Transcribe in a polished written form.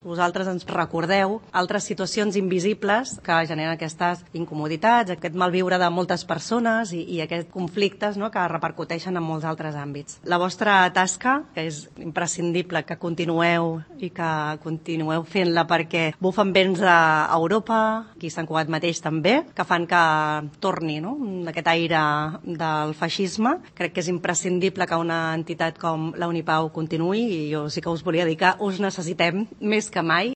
Vosaltres ens recordeu altres situacions invisibles que generen aquestes incomoditats, aquest malviure de moltes persones i aquests conflictes, no?, que repercuteixen en molts altres àmbits. La vostra tasca, que és imprescindible que continueu i que continueu fent-la perquè bufen vents a Europa, aquí a Sant Cugat mateix també, que fan que torni, no?, aquest aire del feixisme. Crec que és imprescindible que una entitat com la Unipau continuï i jo sí que us volia dir que us necessitem més que mai.